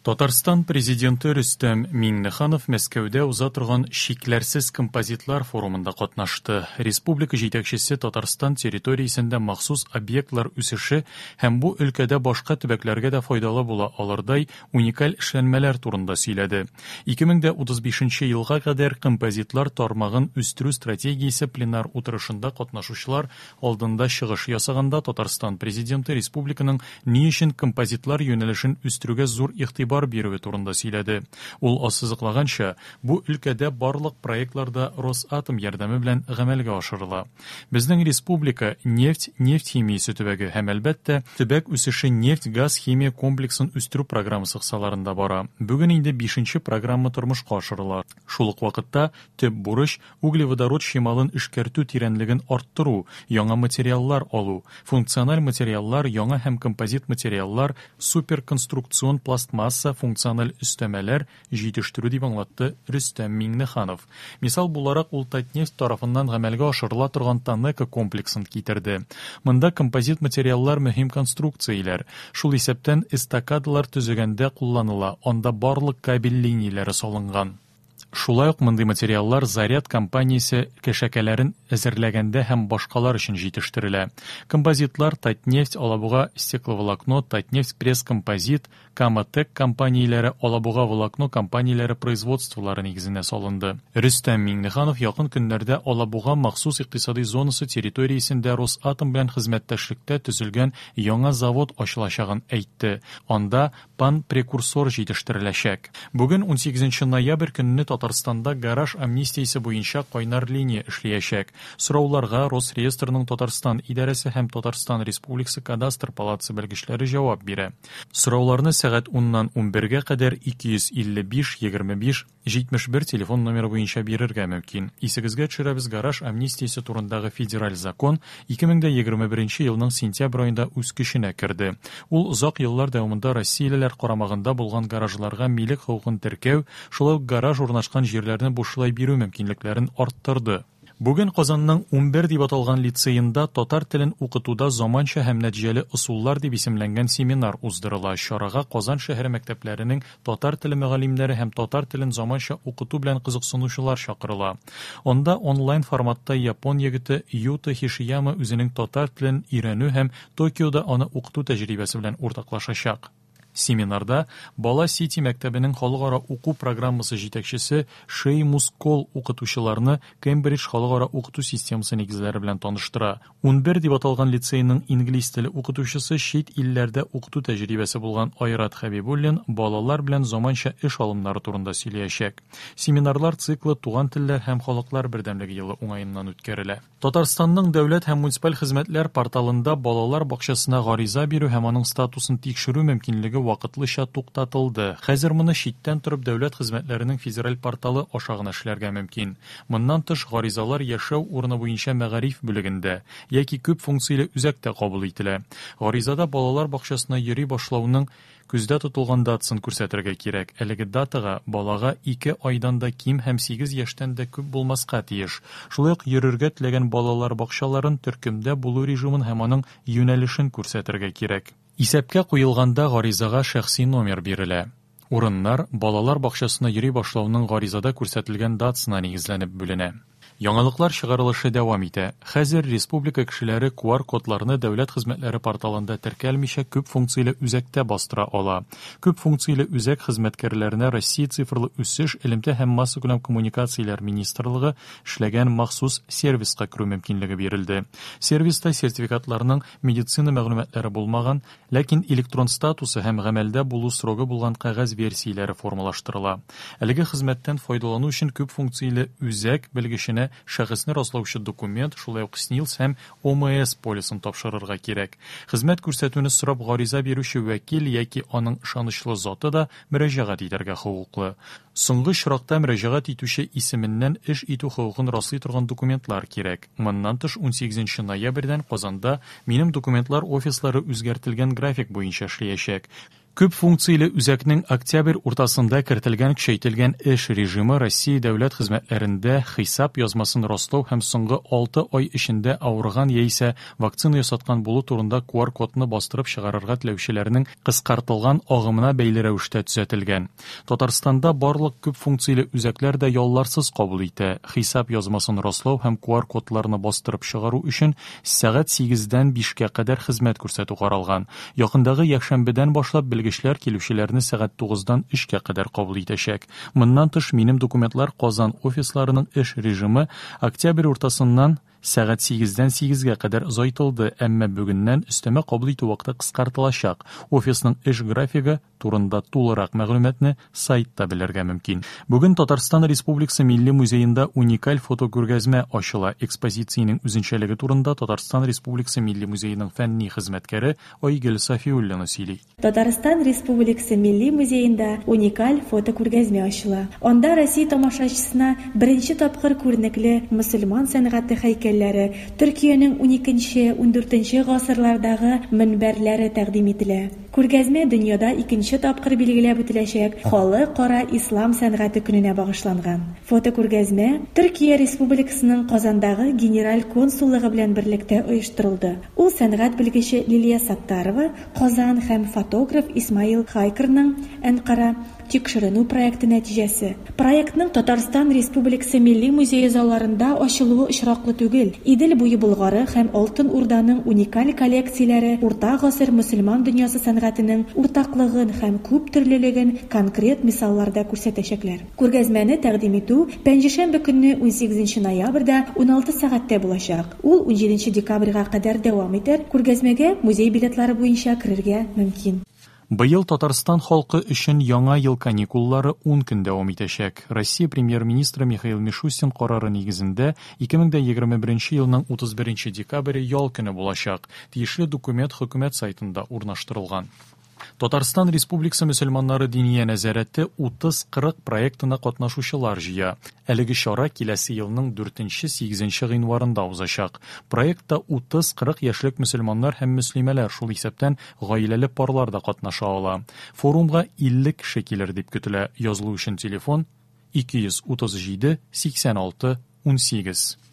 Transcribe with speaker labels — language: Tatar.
Speaker 1: Татарстан Президенты Рөстәм Миңнеханов Мәскәүдә уза торган Чикләрсез композитлар форумында катнашты. Республика җитәкчесе Татарстан территориясендә махсус объектлар үсеше һәм бу өлкәдә башка төбәкләргә дә файдалы була алырдай уникаль эшләнмәләр турында сөйләде. 2035 елга кадәр композитлар тармагын үстерү стратегиясе пленар утырышында катнашучылар алдында чыгыш ясаганда Татарстан Президенты республиканың ни өчен композитлар юнәлешен үстерүгә зур игътибар бирүе турында сөйләде. Ул ассызыклаганча, бу өлкәдә барлык проектлар да Росатом ярдәме белән гамәлгә ашырыла. Безнең республика нефть, нефть химиясе төбәге һәм, әлбәттә, төбәк үсеше нефть-газ-химия комплексын үстерү программасы кысаларында бара. Бүген инде бишенче программа тормышка ашырыла. Шул ук вакытта төп бурыч, углеводород чималын эшкәртү тирәнлеген арттыру, яңа материаллар алу, функциональ материаллар, яңа һәм композит материаллар, суперконструкцион пластмасса, функциональ өстәмәләр җитештерү, дип аңлатты Рөстәм Миңнеханов. Мисал буларак ул Татнефть тарафыннан гамәлгә ашырыла торган ТАНЕКО комплексын китерде. Монда композит материаллар мөһим конструкцияләр, шул исәптән эстакадалар төзегәндә кулланыла, анда барлык кабель линияләре салынган. Шулай ук мондый материаллар Заряд компаниясе кәшәкәләрен әзерләгәндә һәм башкалар өчен җитештерелә. Композитлар Татнефть, Алабуга Стекловолокно, Татнефть Пресс-композит, Кама-Тэк компанияләре, Алабуга Волокно компанияләре производстволары нигезенә салынды. Рөстәм Миңнеханов якын көннәрдә Алабуга махсус икътисадый зонасы территориясендә Росатом белән хезмәттәшлектә төзелгән яңа завод ачылачагын әйтте. Анда пан-прекурсор җитештереләчәк. Бүген, унсигезенче ноябрь көнне Татарстанда гараж амнистиясе буенча кайнар линия эшлиячәк. Сорауларга Росреестрның Татарстан идарәсе һәм Татарстан Республикасы Кадастр палатасы белгечләре җавап бирә. Сорауларны сәгать уннан унбергә кадәр 255 25 71 телефон номеры буенча бирергә мөмкин. Исегезгә төшерәбез, гараж амнистиясе турындагы федераль закон 2021 елның сентябрь аенда үз көченә керде. Ул озак еллар дәвамында россиялеләр карамагында булган гаражларга милек хокукын теркәү, шулай ук гараж урнашкан җирләрне бушлай бирү мөмкинлекләрен арттырды. Бүген Казанның 11 дип аталган лицеенда Татар телен укытуда заманча һәм нәтиҗәле ысуллар дип исемләнгән семинар уздырыла. Чарага Казан шәһәре мәктәпләренең татар теле мөгаллимнәре һәм татар телен заманча укыту белән кызыксынучылар чакырыла. Анда онлайн форматта япон егете Юта Хишияма үзенең татар телен өйрәнү һәм Токиода аны укыту тәҗрибәсе белән уртаклашачак. Семинарда Бала Сити мәктәбенең халыкара уку программасы җитәкчесе Шеймус Кол укытучыларны Кембридж халыкара укыту системасы нигезләре белән таныштыра. 11 дип аталган лицейның инглиз теле укытучысы чит илләрдә укыту тәҗрибәсе булган Айрат Хәбибуллин балалар белән заманча эш алымнары турында сөйләячәк. Семинарлар циклы Туган телләр һәм халыклар бердәмлеге елы уңаеннан үткәрелә. Татарстанның дәүләт һәм муниципаль хезмәтләр порталында балалар бакчасына гариза бирү һәм аның статусын тикшерү мөмкинлеге вакытлыча туктатылды. Хәзер моны читтән торып дәүләт хезмәтләренең федераль порталы аша гына эшләргә мөмкин. Моннан тыш, гаризалар яшәү урыны буенча мәгариф бүлегендә яки күп функцияле үзәктә кабул ителә. Гаризада балалар бакчасына йөри башлауның Күздә тотылган датасын күрсәтергә кирәк. Әлеге датага балага ике айдан да ким һәм сигез яшьтән дә күп булмаска тиеш. Шулай ук йөрергә теләгән балалар бакчаларын, төркемдә булу режимын һәм аның юнәлешен күрсәтергә кирәк. Исәпкә куелганда гаризага шәхси номер бирелә. Урыннар балалар бакчасына йөри башлауның гаризада күрсәтелгән датасына нигезләнеп бүленә. Яңалыклар чыгарылышы дәвам итә. Хәзер республика кешеләре QR-кодларны дәүләт хезмәтләре порталында теркәлмичә күп функцияле үзәктә бастыра ала. Күп функцияле үзәк хезмәткәрләренә Россия цифрлы үсеш, элемтә һәм массакүләм коммуникацияләр министрлыгы эшләгән махсус сервиска керү мөмкинлеге бирелде. Сервиста сертификатларның медицина мәгълүматлары булмаган, Ләкин электрон статусы һәм гамәлдә булу срогы булган кәгазь версияләре формалаштырыла. Әлеге хезмәттән файдалану өчен күп функцияле үзәк белгеченә шәхесне раслаучы документ, шулай ук СНИЛС һәм ОМС полисын тапшырырга кирәк. Хезмәт күрсәтүне сорап гариза бирүче вәкил яки аның ышанычлы заты да мөрәҗәгать итәргә хокуклы. Соңгы очракта мөрәҗәгать итүче исеменнән эш итү хокукын раслый торган документлар кирәк. Моннан тыш, унсигезенче ноябрьдән Казанда Минем документлар офислары үзгәртелгән график буенча эшләячәк. Күп функцияле үзәкнең октябрь уртасында кертелгән көчәйтелгән эш режимы Россия дәүләт хезмәтләрендә хисап язмасын раслау һәм соңгы 6 ай эчендә авырган яисә вакцина ясаткан булу турында QR-кодны бастырып чыгарырга теләүчеләрнең кыскартылган агымына бәйле рәвештә төзәтелгән. Татарстанда барлык күп функцияле үзәкләр дә ялларсыз кабул итә. Хисап язмасын раслау һәм QR-кодларны бастырып чыгару өчен сәгать 8-дән 5-кә кадәр хезмәт күрсәтү каралган. Якындагы якшәмбедән башлап белгечләр килүчеләрне сәгать 9-дан 3-кә кадәр кабул итәчәк. Моннан тыш, Минем документлар Казан офисларының эш режимы октябрь уртасыннан сәгать 8-дән 8-гә кадәр озайтылды, әмма бүгеннән өстәмә кабул итү вакыты кыскартылачак. Офисның эш графигы турында тулырак мәгълүматны сайтта белергә мөмкин. Бүген Татарстан Республикасы Милли музеенда уникаль фотокүргәзмә ачыла. Экспозициянең үзенчәлеге турында Татарстан Республикасы Милли музееның фәнни хезмәткәре Айгөл Сафиуллина сөйли.
Speaker 2: Татарстан Республикасы Милли музеенда уникаль фотокүргәзмә ачыла. Анда Россия тамашачысына беренче тапкыр күренекле мөселман сәнгате һәйкәлләре, Төркиянең 12-14 гасырлардагы мөнбәрләре тәкъдим ителә. Күргәзмә дөньяда икенче тапкыр билгеләп үтеләчәк Халыкара ислам сәнгате көненә багышланган. Фотокүргәзмә Төркия Республикасының Казандагы Генераль консуллыгы белән берлектә оештырылды. Ул сәнгать белгече Лилия Саттарова, Казан, һәм фотограф Исмаил Хайкерның, Әнкара, тикшеренү проекты нәтиҗәсе. Проектның Татарстан Республикасы Милли музее залларында ачылуы очраклы түгел. Идел буе Болгары һәм Алтын Урданың уникаль коллекцияләре урта гасыр мөселман дөньясы сәнгатенең уртаклыгын һәм күптөрлелеген конкрет мисалларда күрсәтәчәкләр. Күргәзмәне тәкъдим итү пәнҗешәмбе көнне 18 ноябрьдә 16 сәгатьтә булачак. Ул 17 декабрьгә кадәр дәвам итәр. Күргәзмәгә музей билетлары буенча керергә мөмкин.
Speaker 1: Быел Татарстан халкы өчен яңа ел каникуллары 10 көн дәвам итәчәк. Россия премьер-министры Михаил Мишустин карары нигезендә 2021 елның 31 декабре ял көне булачак. Тиешле документ хөкүмәт сайтында урнаштырылган. Татарстан Республикасы мөселманнары диния нәзарәте 30-40 проектына катнашучылар җыя. Әлеге чара киләсе елның 4-8 гыйнварында узачак. Проектта 30-40 яшьлек мөселманнар һәм мөслимәләр, шул исәптән гаиләле парлар да катнаша ала. Форумга 50 кеше килер дип көтелә. Язылу өчен телефон 237 86 18.